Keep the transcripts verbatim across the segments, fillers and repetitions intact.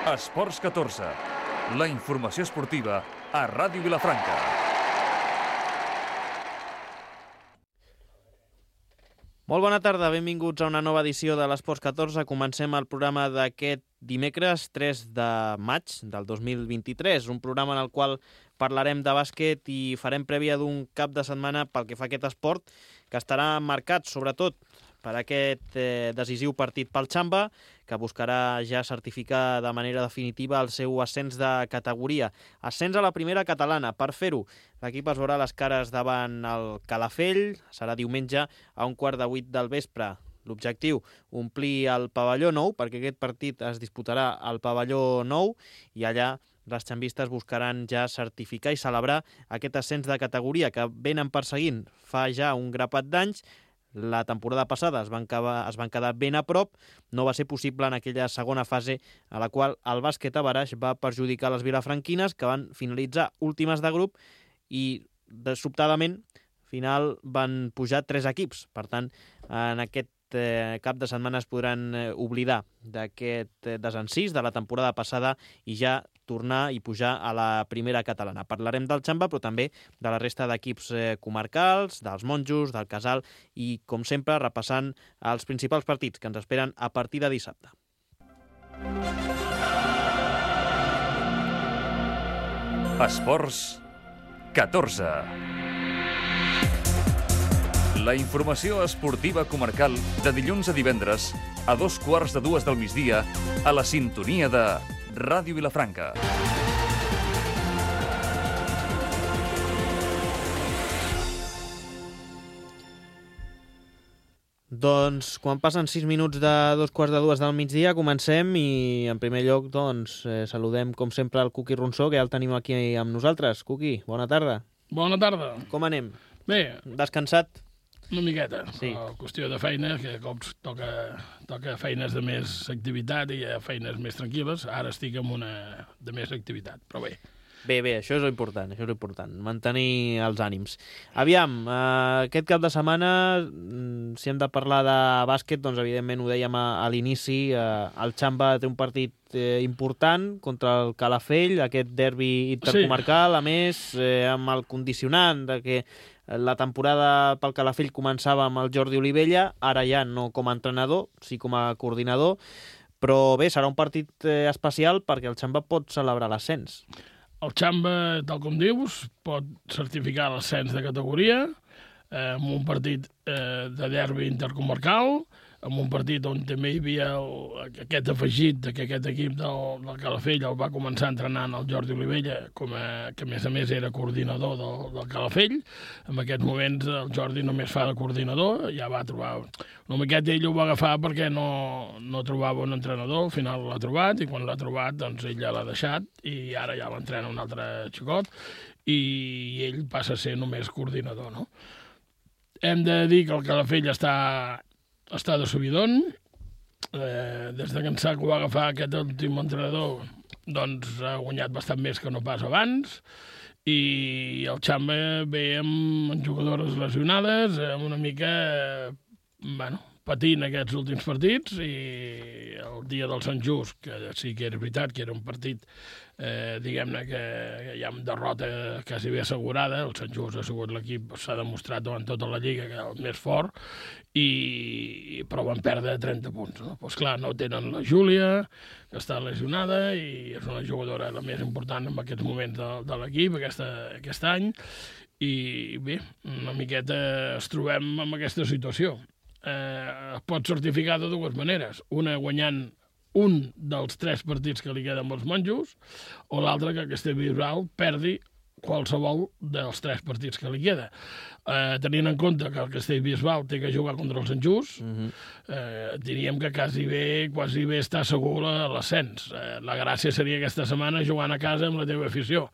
Esports catorze, la informació esportiva a Ràdio Vilafranca. Molt bona tarda, benvinguts a una nova edició de l'Esports catorze. Comencem el programa d'aquest dimecres tres de maig del dos mil vint-i-tres, un programa en el qual parlarem de bàsquet i farem prèvia d'un cap de setmana pel que fa a aquest esport, que estarà marcat sobretot per aquest eh, decisiu partit pel Xamba, que buscarà ja certificar de manera definitiva el seu ascens de categoria. Ascens a la primera catalana. Per fer-ho, l'equip es veurà les cares davant el Calafell, serà diumenge a un quart de vuit del vespre. L'objectiu, omplir el pavelló nou, perquè aquest partit es disputarà al pavelló nou, i allà les xambistes buscaran ja certificar i celebrar aquest ascens de categoria que venen perseguint fa ja un grapat d'anys. La temporada passada es van, acabar, es van quedar ben a prop, no va ser possible en aquella segona fase a la qual el bàsquet a Baraix va perjudicar les vilafranquines, que van finalitzar últimes de grup i, de, sobtadament, al final van pujar tres equips. Per tant, en aquest eh, cap de setmana es podran eh, oblidar d'aquest eh, desencís de la temporada passada i ja tornar i pujar a la primera catalana. Parlarem del Xamba, però també de la resta d'equips eh, comarcals, dels monjos, del Casal i, com sempre, repassant els principals partits que ens esperen a partir de dissabte. Esports catorze. La informació esportiva comarcal de dilluns a divendres a dos quarts de dues del migdia a la sintonia de Ràdio Vilafranca. Doncs quan passen sis minuts de dos quarts de dues del migdia comencem i en primer lloc doncs eh, saludem com sempre el Cuqui Ronsó, que ja el tenim aquí amb nosaltres. Cuqui, bona tarda. Bona tarda. Com anem? Bé. Descansat? Una miqueta, sí. Però qüestió de feina, que cops toca, toca feines de més activitat i feines més tranquil·les. Ara estic en una de més activitat, però bé. Bé, bé, això és important, això és important, mantenir els ànims. Aviam, eh, aquest cap de setmana, si hem de parlar de bàsquet, doncs evidentment ho dèiem a, a l'inici, eh, el Xamba té un partit eh, important contra el Calafell, aquest derbi intercomarcal, sí. A més, eh, amb el condicionant de que la temporada pel Calafell començava amb el Jordi Olivella, ara ja no com a entrenador, sí com a coordinador, però bé, serà un partit eh, especial perquè el Xamba pot celebrar l'ascens. El Xamba, tal com dius, pot certificar l'ascens de categoria eh, amb un partit eh, de derbi intercomarcal, amb un partit on també hi havia el, aquest afegit de que aquest equip del, del Calafell el va començar entrenant el Jordi Olivella, com a, que a més a més era coordinador del, del Calafell. En aquests moments el Jordi només fa de coordinador, ja va trobar... Una miqueta ell ho va agafar perquè no, no trobava un entrenador, al final l'ha trobat, i quan l'ha trobat doncs ell ja l'ha deixat, i ara ja l'entrena un altre xicot, i ell passa a ser només coordinador, no? Hem de dir que el Calafell està... està de subidon, eh, des de que ençà que ho va agafar aquest últim entrenador, doncs ha guanyat bastant més que no pas abans, i el Xamba ve amb jugadores lesionades, amb una mica, eh, bueno, patint aquests últims partits, i el dia del Sant Just, que sí que era veritat que era un partit, eh, diguem-ne que hi ha una derrota quasi bé assegurada, el Sant Just ha sigut l'equip, s'ha demostrat davant tota la Lliga que és el més fort, i però van perdre trenta punts. No? Pues clar, no tenen la Júlia, que està lesionada, i és una jugadora la més important en aquests moments de, de l'equip aquesta, aquest any, i bé, una miqueta es trobem en aquesta situació. Eh, es pot certificar de dues maneres, una guanyant un dels tres partits que li queden amb els monjos, o l'altra que Castellbisbal perdi qualsevol dels tres partits que li queda. Eh, tenint en compte que el Castellbisbal té que jugar contra el Sant Just, uh-huh. eh, diríem que quasi bé, quasi bé està segur l'ascens. Eh, la gràcia seria aquesta setmana jugant a casa amb la teva afició,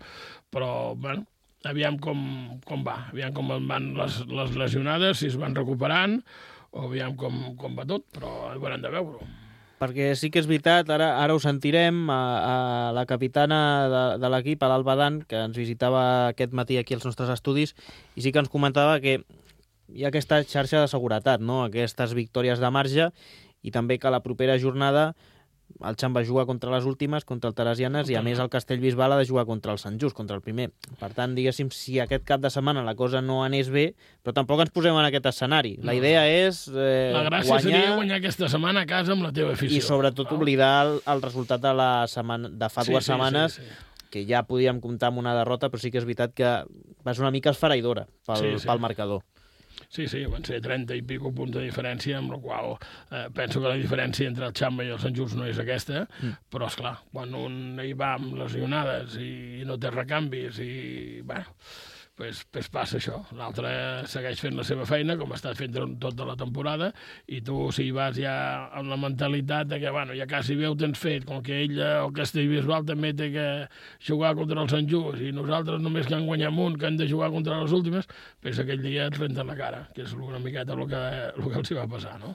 però, bueno, aviam com, com va, aviam com van les, les lesionades, si es van recuperant, o aviam com, com va tot, però haurem de veure-ho. Perquè sí que és veritat, ara, ara ho sentirem, a, a la capitana de, de l'equip, a l'Alba Dan, que ens visitava aquest matí aquí als nostres estudis, i sí que ens comentava que hi ha aquesta xarxa de seguretat, no? Aquestes victòries de marge, i també que la propera jornada el Xamba juga contra les últimes, contra el Teresianes, i a més el Castellbisbal ha de jugar contra el Sant Just, contra el primer. Per tant, diguéssim, si aquest cap de setmana la cosa no anés bé, però tampoc ens posem en aquest escenari. La idea és eh, La gràcia guanyar... seria guanyar aquesta setmana a casa amb la teva afició. I sobretot oblidar el, el resultat de, la setmana, de fa Sí, dues sí, setmanes, sí, sí. que ja podíem comptar amb una derrota, però sí que és veritat que va ser una mica esfereïdora pel, Sí, sí. pel marcador. Sí, sí, van ser trenta i pico punts de diferència, amb la qual eh, penso que la diferència entre el Xamba i el Sant Just no és aquesta, mm. però, esclar, quan un hi va amb lesionades i no té recanvis i, bueno, pues, pues passa això. L'altre segueix fent la seva feina, com ha estat fent tota la temporada, i tu, si vas ja amb la mentalitat de que, bueno, ja quasi bé ho tens fet, com que ell, el Castellbisbal, també té que jugar contra el Sant Just, i nosaltres només que en guanyem un, que hem de jugar contra les últimes, pues aquell dia et renten la cara, que és una miqueta el que, el que els hi va passar, no?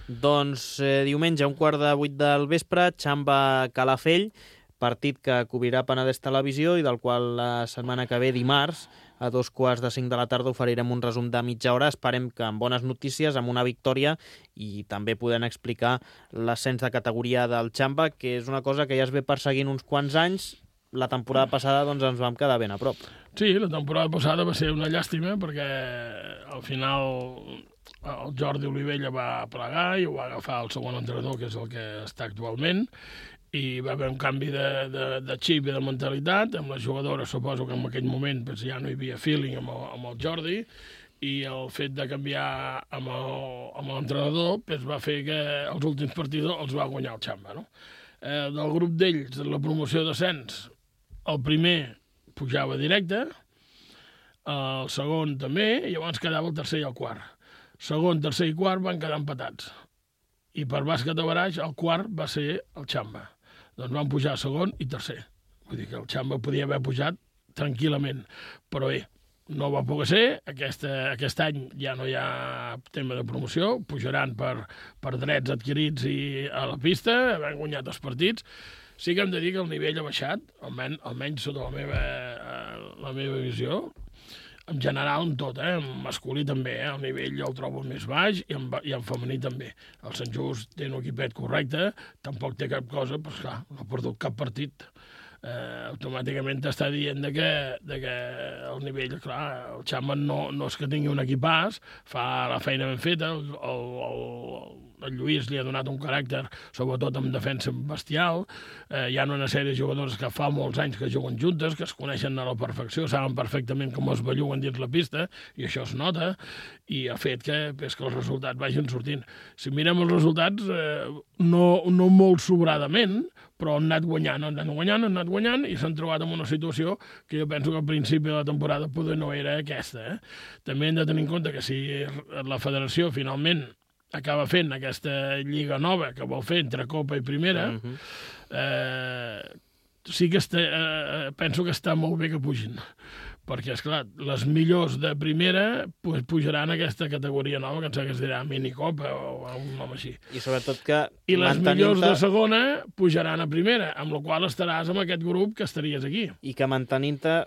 Doncs eh, diumenge, un quart de vuit del vespre, Xamba-Calafell, partit que cobrirà Penedès Televisió i del qual la setmana que ve, dimarts, a dos quarts de cinc de la tarda, oferirem un resum de mitja hora. Esperem que amb bones notícies, amb una victòria, i també podem explicar l'ascens de categoria del Xamba, que és una cosa que ja es ve perseguint uns quants anys. La temporada passada doncs, ens vam quedar ben a prop. Sí, la temporada passada va ser una llàstima perquè al final el Jordi Olivella va plegar i ho va agafar el segon entrenador, que és el que està actualment, i va haver un canvi de, de, de xip i de mentalitat. Amb les jugadores, suposo que en aquell moment pues, ja no hi havia feeling amb el, amb el Jordi, i el fet de canviar amb l'entrenador pues, va fer que els últims partits els va guanyar el Xamba. No? Eh, del grup d'ells, de la promoció d'ascens, el primer pujava directe, el segon també, i llavors quedava el tercer i el quart. Segon, tercer i quart van quedar empatats. I per bàsquet a baraix, el quart va ser el Xamba. Doncs van pujar segon i tercer. Vull dir que el Xamba podia haver pujat tranquil·lament. Però bé, no va poder ser. Aquesta, aquest any ja no hi ha tema de promoció. Pujaran per, per drets adquirits i a la pista. Han guanyat els partits. Sí que hem de dir que el nivell ha baixat, almenys, almenys sota la meva, la meva visió. En general, en tot, eh? En masculí també, eh? El nivell jo el trobo més baix i en, i en femení també. El Sant Just té un equipet correcte, tampoc té cap cosa, però esclar, no ha perdut cap partit. Eh, automàticament t'està dient de que, de que el nivell, clar, el Xamba no, no és que tingui un equipàs, fa la feina ben feta, el, el, el Lluís li ha donat un caràcter, sobretot amb defensa bestial, eh, hi ha una sèrie de jugadors que fa molts anys que juguen juntes, que es coneixen a la perfecció, saben perfectament com es belluguen dins la pista, i això es nota, i ha fet que, és que els resultats vagin sortint. Si mirem els resultats, eh, no, no molt sobradament, però han anat guanyant, han anat guanyant, han anat guanyant, i s'han trobat en una situació que jo penso que al principi de la temporada poder no era aquesta. Eh? També hem de tenir en compte que si la federació finalment acaba fent aquesta lliga nova que vol fer entre Copa i Primera, uh-huh. eh, sí que està, eh, penso que està molt bé que pugin. Perquè, esclar, les millors de primera pues, pujaran a aquesta categoria nova, que em sembla que es dirà minicopa o un nom així. I sobretot que... I les millors de segona pujaran a primera, amb la qual estaràs amb aquest grup que estaries aquí. I que mantenint-te,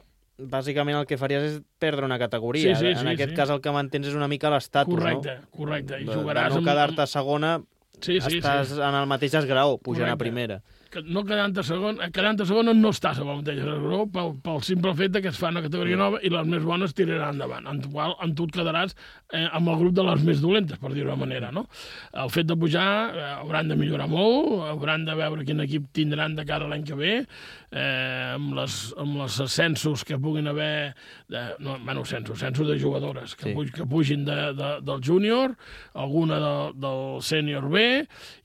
bàsicament el que faries és perdre una categoria. Sí, sí, en sí, aquest sí. cas el que mantens és una mica l'estatus, correcte, no? Correcte, correcte. I de, jugaràs de no amb... quedar-te a segona, sí, sí, estàs sí. en el mateix esgraó, pujant correcte. a primera. Que no quedant a segona, quedant a segona no estàs a la mateixa esgraó pel, pel simple fet que es fa una categoria nova i les més bones tiraran endavant, en qual en tu et quedaràs eh, amb el grup de les més dolentes, per dir-ho d'una manera, no? El fet de pujar eh, hauran de millorar molt, hauran de veure quin equip tindran de cara l'any que ve, eh, amb, les, amb els ascensos que puguin haver, de, no, bueno, ascensos, ascensos de jugadores, que, sí. puj, que pugin de, de, del júnior, alguna de, del sènior B,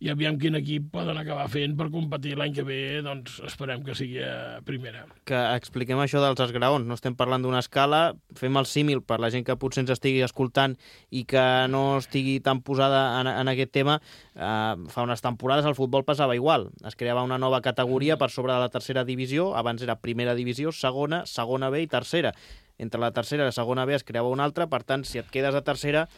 i aviam quin equip poden acabar fent per competir l'any que ve, doncs esperem que sigui a primera. Que expliquem això dels esgraons, no estem parlant d'una escala, fem el símil per la gent que potser ens estigui escoltant i que no estigui tan posada en, en aquest tema. Uh, fa unes temporades el futbol passava igual, es creava una nova categoria per sobre de la tercera divisió, abans era primera divisió, segona, segona B i tercera. Entre la tercera i la segona B es creava una altra, per tant, si et quedes a tercera,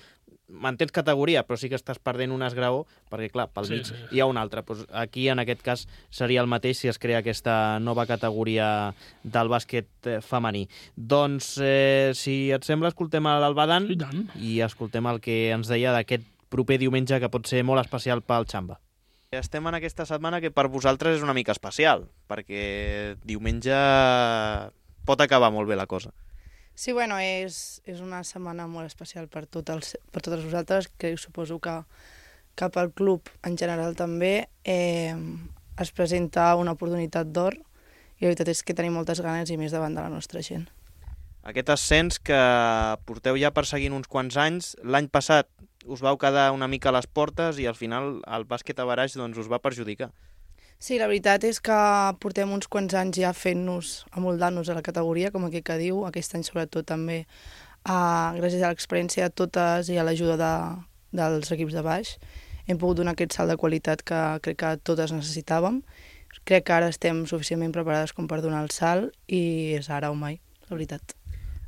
mantens categoria, però sí que estàs perdent un esgraó, perquè, clar, pel mig sí, sí. hi ha un altre. Pues aquí, en aquest cas, seria el mateix si es crea aquesta nova categoria del bàsquet femení. Doncs, eh, si et sembla, escoltem l'Albadan i escoltem el que ens deia d'aquest proper diumenge, que pot ser molt especial pel Xamba. Estem en aquesta setmana que per vosaltres és una mica especial, perquè diumenge pot acabar molt bé la cosa. Sí, bueno, és, és una setmana molt especial per, tot els, per totes vosaltres, que suposo que cap al club en general també. Eh, es presenta una oportunitat d'or i la veritat és que tenim moltes ganes i més davant de la nostra gent. Aquest ascens que porteu ja perseguint uns quants anys, l'any passat us vau quedar una mica a les portes i al final el bàsquet a Baraix doncs, us va perjudicar. Sí, la veritat és que portem uns quants anys ja fent-nos, amoldant-nos a la categoria, com aquí que diu, aquest any sobretot també, uh, gràcies a l'experiència de totes i a l'ajuda de, dels equips de baix, hem pogut donar aquest salt de qualitat que crec que totes necessitàvem. Crec que ara estem suficientment preparades com per donar el salt i és ara o mai, la veritat.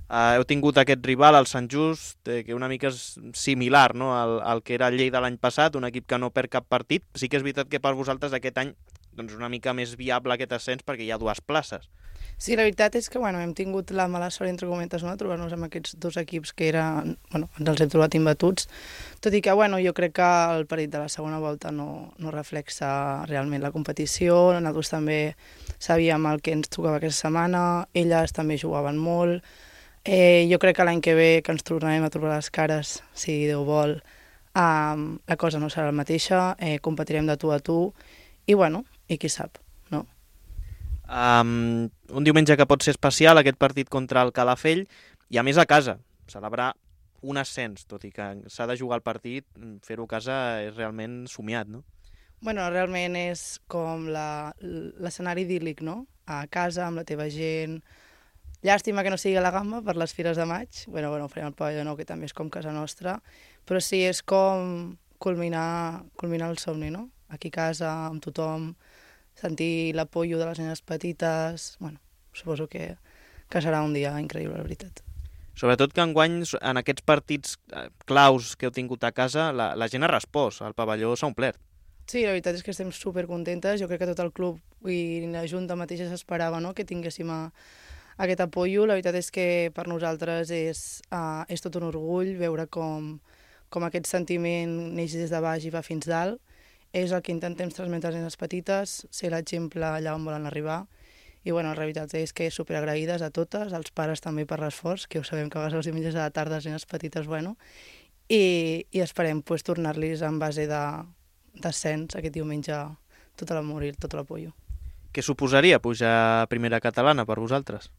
Uh, heu tingut aquest rival, el Sant Just, eh, que una mica és similar, no?, al, al que era el Lleida l'any passat, un equip que no perd cap partit. Sí que és veritat que per vosaltres aquest any doncs una mica més viable aquest ascens perquè hi ha dues places. Sí, la veritat és que bueno, hem tingut la mala sort, entre cometes, no?, de trobar-nos amb aquests dos equips que eren, bueno, ens els hem trobat imbatuts, tot i que bueno, jo crec que el partit de la segona volta no, no reflexa realment la competició. Nosaltres també sabíem el que ens tocava aquesta setmana, elles també jugaven molt. Eh, jo crec que l'any que ve que ens tornarem a trobar les cares, si Déu vol, um, la cosa no serà la mateixa, eh, competirem de tu a tu i bueno, i qui sap, no? Um, un diumenge que pot ser especial, aquest partit contra el Calafell, i a més a casa, celebrar un ascens, tot i que s'ha de jugar el partit, fer-ho a casa és realment somiat, no? Bueno, realment és com la, l'escenari idíl·lic, no? A casa, amb la teva gent. Llàstima que no sigui a la Gamba per les Fires de Maig. Bueno, bueno, farem el Pavelló Nou, que també és com casa nostra. Però sí, és com culminar, culminar el somni, no? Aquí a casa, amb tothom, sentir l'apollo de les nenes petites. Bueno, suposo que, que serà un dia increïble, la veritat. Sobretot que enguany, en aquests partits claus que heu tingut a casa, la, la gent ha respost, el pavelló s'ha omplert. Sí, la veritat és que estem supercontentes. Jo crec que tot el club i la Junta mateixa s'esperava, no?, que tinguéssim a, aquest apollo. La veritat és que per nosaltres és, uh, és tot un orgull veure com, com aquest sentiment neix des de baix i va fins dalt. És el que intentem transmetre a les nenes petites, ser l'exemple allà on volen arribar. I bueno, la veritat és que superagraïdes a totes, als pares també per l'esforç, que ho sabem que a vegades els diumenges a la tarda les nenes petites, bueno, i, i esperem pues, tornar-los en base de, d'ascens aquest diumenge tot l'amor i tot l'apollo. Què suposaria pujar a primera catalana per vosaltres?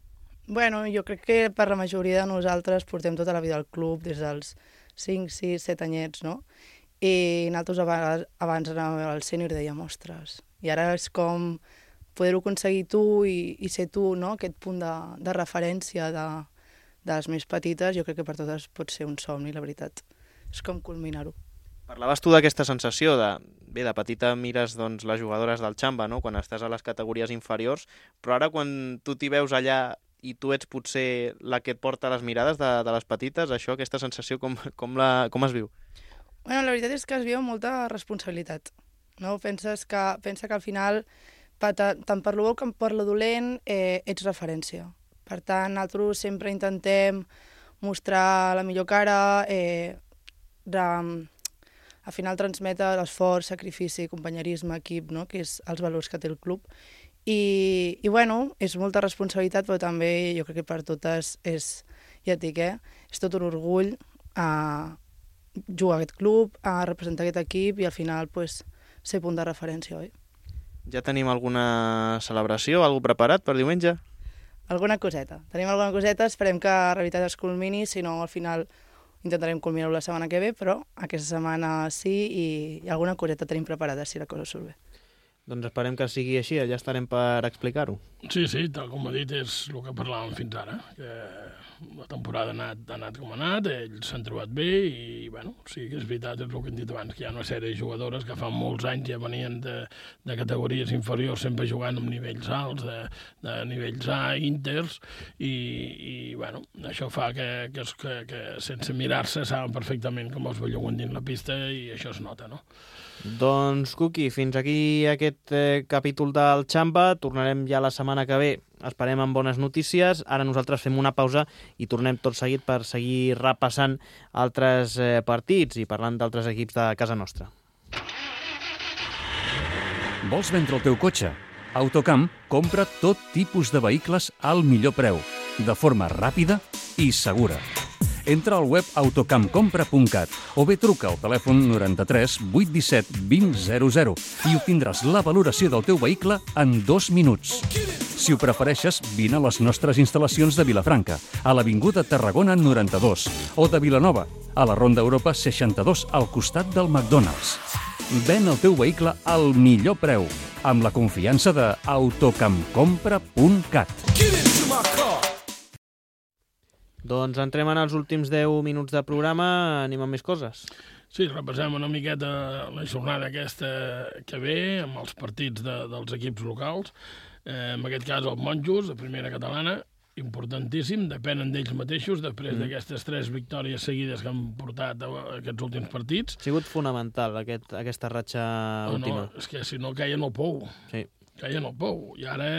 Bueno, jo crec que per la majoria de nosaltres portem tota la vida al club, des dels cinc, sis, set anyets, no? I nosaltres abans, abans anàvem al sènior i dèiem, ostres, i ara és com poder-ho aconseguir tu i, i ser tu, no?, aquest punt de, de referència de, de les més petites, jo crec que per totes pot ser un somni, la veritat. És com culminar-ho. Parlaves tu d'aquesta sensació de, bé, de petita mires doncs, les jugadores del Xamba, no?, quan estàs a les categories inferiors, però ara quan tu t'hi veus allà i tu ets potser la que et porta les mirades de, de les petites, això, aquesta sensació, com, com, la, com es viu? Bueno, la veritat és que es viu molta responsabilitat, no? Penses que, pensa que al final, tant per lo bo com per lo dolent, eh, ets referència. Per tant, nosaltres sempre intentem mostrar la millor cara, eh, de, al final transmetre l'esforç, sacrifici, companyerisme, equip, no?, que és els valors que té el club. I, i bueno, és molta responsabilitat, però també jo crec que per totes és, ja et dic, eh, és tot un orgull a jugar a aquest club, a representar aquest equip i al final pues, ser punt de referència, oi? Ja tenim alguna celebració, alguna preparat per diumenge? Alguna coseta. Tenim alguna coseta, esperem que la realitat es culmini, si no al final intentarem culminar-ho la setmana que ve, però aquesta setmana sí i, i alguna coseta tenim preparada si la cosa surt bé. Doncs esperem que sigui així, ja estarem per explicar-ho. Sí, sí, tal com ha dit, és el que parlàvem fins ara, que la temporada ha anat, ha anat com ha anat, ells s'han trobat bé i, bueno, sí que és veritat, és el que hem dit abans, que hi ha una sèrie de jugadores que fa molts anys ja venien de, de categories inferiors, sempre jugant amb nivells alts, de, de nivells A, inters, i, i bueno, això fa que, que, que, que sense mirar-se saben perfectament com es belluguen dins la pista i això es nota, no? Doncs, Cuqui, fins aquí aquest eh, capítol del Xamba. Tornarem ja la setmana que ve. Esperem amb bones notícies. Ara nosaltres fem una pausa i tornem tot seguit per seguir repassant altres eh, partits i parlant d'altres equips de casa nostra. Vols vendre el teu cotxe? Autocamp compra tot tipus de vehicles al millor preu, de forma ràpida i segura. Entra al web autocampcompra punt cat o bé truca al telèfon noranta-tres vuit disset vint zero zero i obtindràs la valoració del teu vehicle en dos minuts. Si ho prefereixes, vine a les nostres instal·lacions de Vilafranca, a l'Avinguda Tarragona noranta-dos, o de Vilanova, a la Ronda Europa seixanta-dos, al costat del McDonald's. Ven el teu vehicle al millor preu, amb la confiança de autocampcompra punt cat. Doncs entrem en els últims deu minuts de programa, anem amb més coses. Sí, repassem una miqueta la jornada aquesta que ve, amb els partits de, dels equips locals. Eh, en aquest cas, els monjos, de primera catalana, importantíssim, depenen d'ells mateixos, després mm. d'aquestes tres victòries seguides que han portat aquests últims partits. Ha sigut fonamental aquest, aquesta ratxa no, última. No, és que si no caien al pou. Sí. Caien al pou. I ara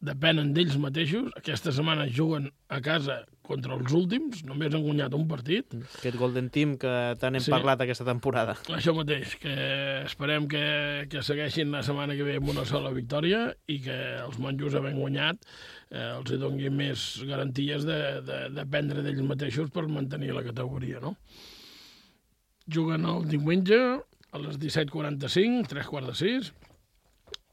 depenen d'ells mateixos. Aquesta setmana juguen a casa contra els últims, només han guanyat un partit. Aquest Golden Team que tant hem sí. parlat aquesta temporada. Això mateix, que esperem que, que segueixin la setmana que ve amb una sola victòria i que els monjos, havent guanyat, eh, els doni més garanties de, de, de dependre d'ells mateixos per mantenir la categoria, no? Juguen el diumenge a les disset quaranta-cinc, tres quarts de sis,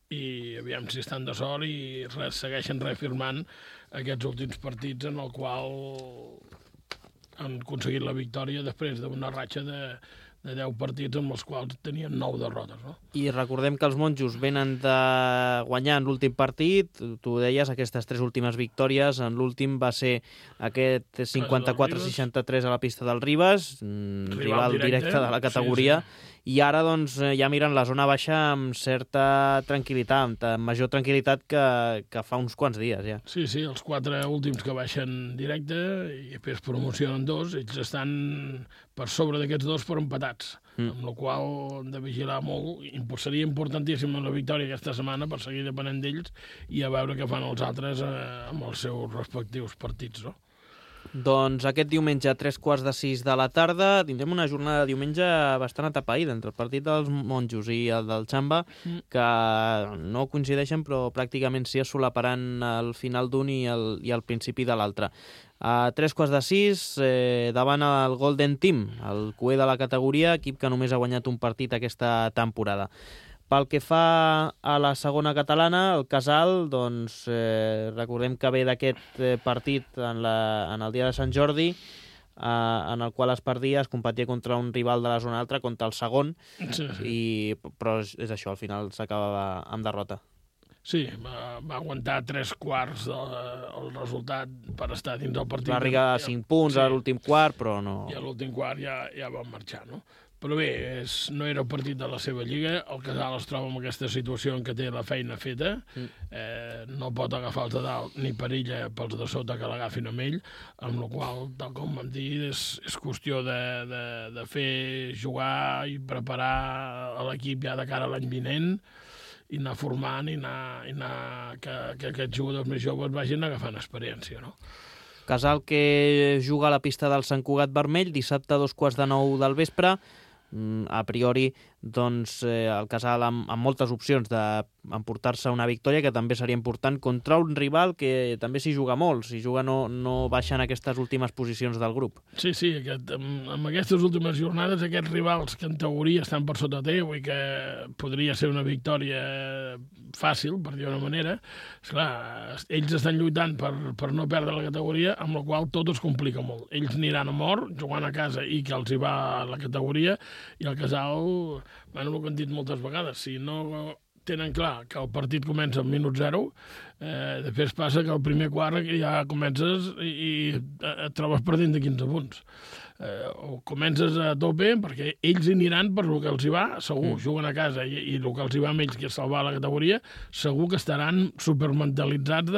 i aviam si estan de sort i res, segueixen reafirmant aquests últims partits en el qual han aconseguit la victòria després d'una ratxa de, de deu partits amb els quals tenien nou derrotes, no? I recordem que els monjos venen de guanyar en l'últim partit, tu deies, aquestes tres últimes victòries, en l'últim va ser aquest cinquanta-quatre seixanta-tres a la pista del Ribes, rival, rival directe, directe de la categoria, sí, sí. I ara doncs, ja miren la zona baixa amb certa tranquil·litat, amb major tranquil·litat que, que fa uns quants dies, ja. Sí, sí, els quatre últims que baixen directe i després promocionen dos, ells estan per sobre d'aquests dos per empatats, mm. amb la qual hem de vigilar molt. Seria importantíssim la victòria aquesta setmana per seguir depenent d'ells i a veure què fan els altres eh, amb els seus respectius partits, no? Doncs aquest diumenge a tres quarts de sis de la tarda tindrem una jornada de diumenge bastant atapeïda entre el partit dels monjos i el del Xamba, mm. que no coincideixen però pràcticament s'hi solaparan al final d'un i el, i al principi de l'altre. A tres quarts de sis, eh, davant el Golden Team, el cué de la categoria, equip que només ha guanyat un partit aquesta temporada. Pel que fa a la segona catalana, el Casal, doncs, eh, recordem que ve d'aquest eh, partit en, la, en el dia de Sant Jordi, eh, en el qual es perdia, es competia contra un rival de la zona altra, contra el segon, sí, sí. I, però és, és això, al final s'acaba amb derrota. Sí, va, va aguantar tres quarts del de, resultat per estar dins del partit. Va arribar a cinc punts sí. a l'últim quart, però no... I a l'últim quart ja, ja van marxar, no? Però bé, és, no era el partit de la seva lliga, el Casal es troba en aquesta situació en què té la feina feta, mm. eh, no pot agafar els de dalt ni perilla pels de sota que l'agafin amb ell, amb la qual, tal com vam dir, és, és qüestió de, de, de fer jugar i preparar l'equip ja de cara a l'any vinent, i anar formant i anar, i anar que, que aquests jugadors més joves vagin agafant experiència, no? Casal que juga a la pista del Sant Cugat Vermell dissabte a dos quarts de nou del vespre. A priori, doncs, eh, el Casal amb, amb moltes opcions d'emportar-se una victòria, que també seria important, contra un rival que també s'hi juga molt, s'hi juga no, no baixant aquestes últimes posicions del grup. Sí, sí, aquest, amb, amb aquestes últimes jornades, aquests rivals que en teoria estan per sota teu i que podria ser una victòria fàcil, per dir-ho d'una manera, esclar, ells estan lluitant per, per no perdre la categoria, amb la qual tot es complica molt. Ells aniran a mort, jugant a casa i que els hi va la categoria, i el Casal, bueno, el que han dit moltes vegades, si no tenen clar que el partit comença al minut zero, eh, després passa que el primer quart ja comences i, i et trobes perdent de quinze punts. Eh, o comences a tope perquè ells hi aniran per el que els hi va, segur, mm. juguen a casa i, i el que els hi va amb ells, que és salvar la categoria, segur que estaran supermentalitzats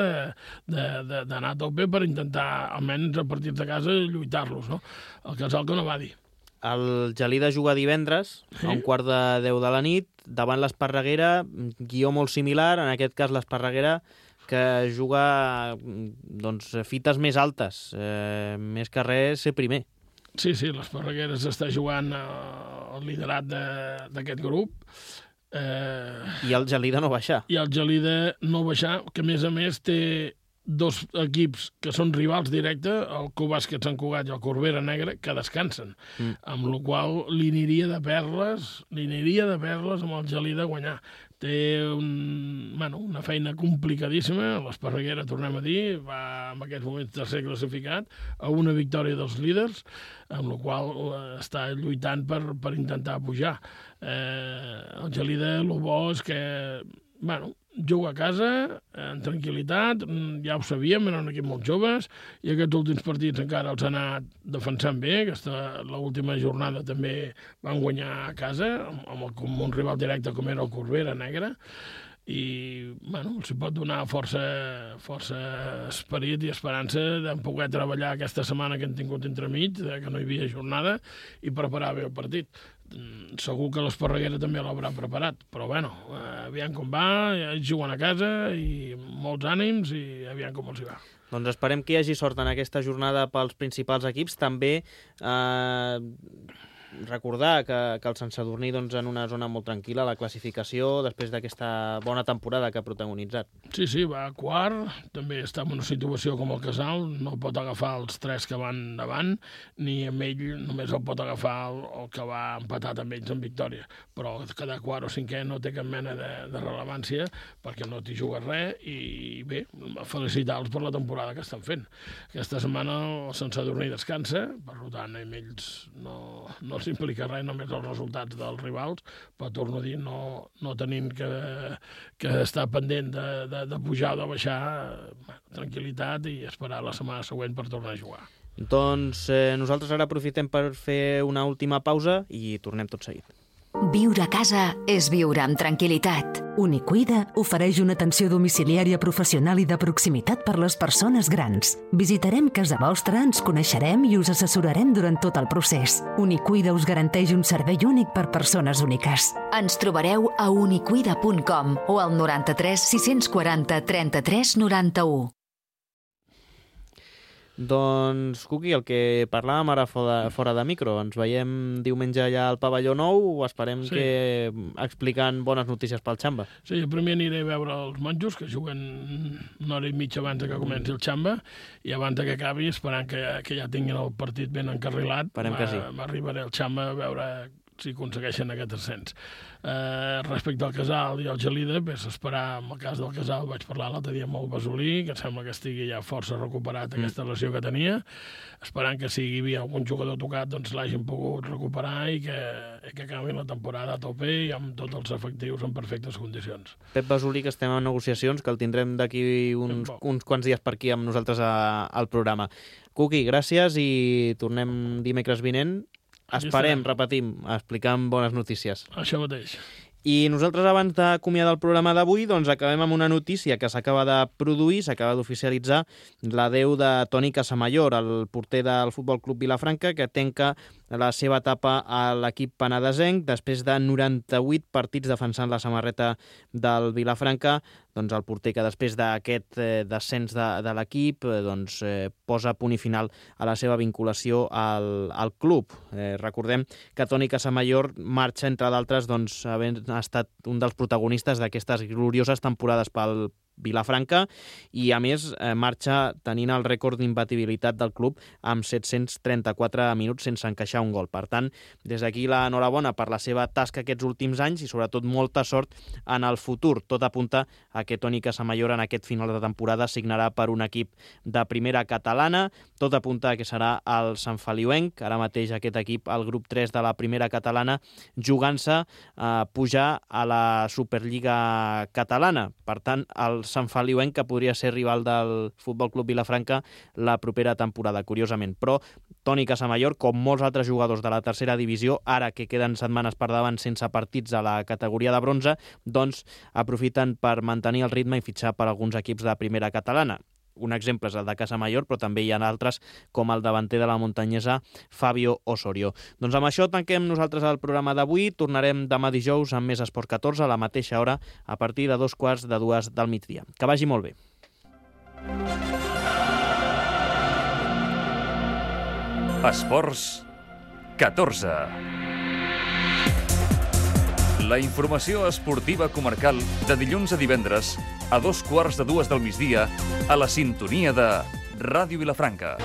d'anar a tope per intentar, almenys a partits de casa, lluitar-los, no? El Casal que no va dir. El Gelida juga divendres, sí? A un quart de deu de la nit, davant l'Esparreguera, guió molt similar, en aquest cas l'Esparreguera, que juga doncs, fites més altes, eh, més que res ser primer. Sí, sí, l'Esparreguera s'està jugant eh, el liderat d'aquest grup, Eh, I el Gelida no baixar. I el Gelida no baixar, que a més a més té dos equips que són rivals directes, el Club Bàsquet Sant Cugat i el Corbera Negra, que descansen, mm. amb la qual li aniria de perles, li aniria de perles amb el Gelida a guanyar. Té un, bueno, una feina complicadíssima, l'Esparreguera, tornem a dir, va en aquests moments tercer classificat, a una victòria dels líders, amb la qual està lluitant per, per intentar pujar. Eh, el Gelida, el bo és que, bueno, juga a casa, en tranquil·litat, ja ho sabíem, eren un equip molt joves, i aquests últims partits encara els ha anat defensant bé. Aquesta, l'última jornada també van guanyar a casa, amb, el, amb un rival directe com era el Corbera Negra, i bueno, els pot donar força, força esperit i esperança de poder treballar aquesta setmana que hem tingut entremig, que no hi havia jornada, i preparar bé el partit. Segur que l'Esparreguera també l'haurà preparat, però bueno, eh, aviam com va, ells juguen a casa i molts ànims i aviam com els hi va. Doncs esperem que hi hagi sort en aquesta jornada pels principals equips. També eh, recordar que, que el Sant Sadurní doncs, en una zona molt tranquil·la, la classificació, després d'aquesta bona temporada que ha protagonitzat. Sí, sí, va a quart, també està en una situació com el Casal, no pot agafar els tres que van davant, ni amb ell només el pot agafar el, el que va empatat amb ells en victòria, però cada quart o cinquè no té cap mena de, de rellevància perquè no t'hi jugues res i bé, felicitar-los per la temporada que estan fent. Aquesta setmana el Sant Sadurní descansa, per tant, amb ells no, no s'implica res, només els resultats dels rivals, però torno a dir, no, no tenim que, que estar pendent de, de, de pujar o de baixar, tranquil·litat i esperar la setmana següent per tornar a jugar. Doncs eh, nosaltres ara aprofitem per fer una última pausa i tornem tot seguit. Viure a casa és viure amb tranquil·litat. Unicuida ofereix una atenció domiciliària professional i de proximitat per les persones grans. Visitarem casa vostra, ens coneixerem i us assessorarem durant tot el procés. Unicuida us garanteix un servei únic per persones úniques. Ens trobareu a unicuida punt com o al noranta-tres sis-cents quaranta trenta-tres noranta-u. Doncs, Cuqui, el que parlàvem ara fora, fora de micro, ens veiem diumenge allà al pavelló nou, esperem sí. que explicant bones notícies pel Xamba. Sí, jo primer aniré a veure els monjos, que juguen una hora i mitja abans que comenci el Xamba, i abans que acabi, esperant que, que ja tinguin el partit ben encarrilat, sí. m'arribaré al Xamba a veure si aconsegueixen aquest ascens. Eh, respecte al Casal i al Gelida, pues, esperar, en el cas del Casal vaig parlar l'altre dia amb el Basolí, que sembla que estigui ja força recuperat aquesta lesió que tenia, esperant que si hi havia algun jugador tocat doncs l'hagin pogut recuperar i que, i que acabi la temporada a tope i amb tots els efectius en perfectes condicions. Pep Basolí, que estem en negociacions, que el tindrem d'aquí uns, uns quants dies per aquí amb nosaltres a, al programa. Cuqui, gràcies i tornem dimecres vinent. Esperem, repetim, explicant bones notícies. Això mateix. I nosaltres, abans d'acomiadar el programa d'avui, doncs acabem amb una notícia que s'acaba de produir, s'acaba d'oficialitzar l'adeu de Toni Casamayor, el porter del Futbol Club Vilafranca, que tanca la seva etapa a l'equip penedesenc després de noranta-vuit partits defensant la samarreta del Vilafranca. Doncs el porter que després d'aquest eh, descens de, de l'equip eh, doncs, eh, posa punt i final a la seva vinculació al, al club. Eh, recordem que Toni Casamayor marxa, entre d'altres, doncs, havent estat un dels protagonistes d'aquestes glorioses temporades pel Vilafranca i, a més, eh, marxa tenint el rècord d'imbatibilitat del club amb set-cents trenta-quatre minuts sense encaixar un gol. Per tant, des d'aquí l'enhorabona per la seva tasca aquests últims anys i, sobretot, molta sort en el futur. Tot apunta a que Toni Casamayor en aquest final de temporada signarà per un equip de primera catalana. Tot apunta a que serà el Sant Feliuenc, ara mateix aquest equip, el grup tres de la primera catalana, jugant-se a pujar a la Superliga catalana. Per tant, el Sant Feliuenc, que podria ser rival del Futbol Club Vilafranca la propera temporada, curiosament. Però Toni Casamayor, com molts altres jugadors de la tercera divisió, ara que queden setmanes per davant sense partits a la categoria de bronze, doncs aprofiten per mantenir el ritme i fitxar per alguns equips de primera catalana. Un exemple és el de Casamayor, però també hi ha altres com el davanter de la muntanyesa Fabio Osorio. Doncs amb això tanquem nosaltres el programa d'avui. Tornarem demà dijous amb més Esport catorze a la mateixa hora a partir de dos quarts de dues del migdia. Que vagi molt bé. Esports catorze. La informació esportiva comarcal de dilluns a divendres a dos quarts de dues del migdia a la sintonia de Ràdio Vilafranca.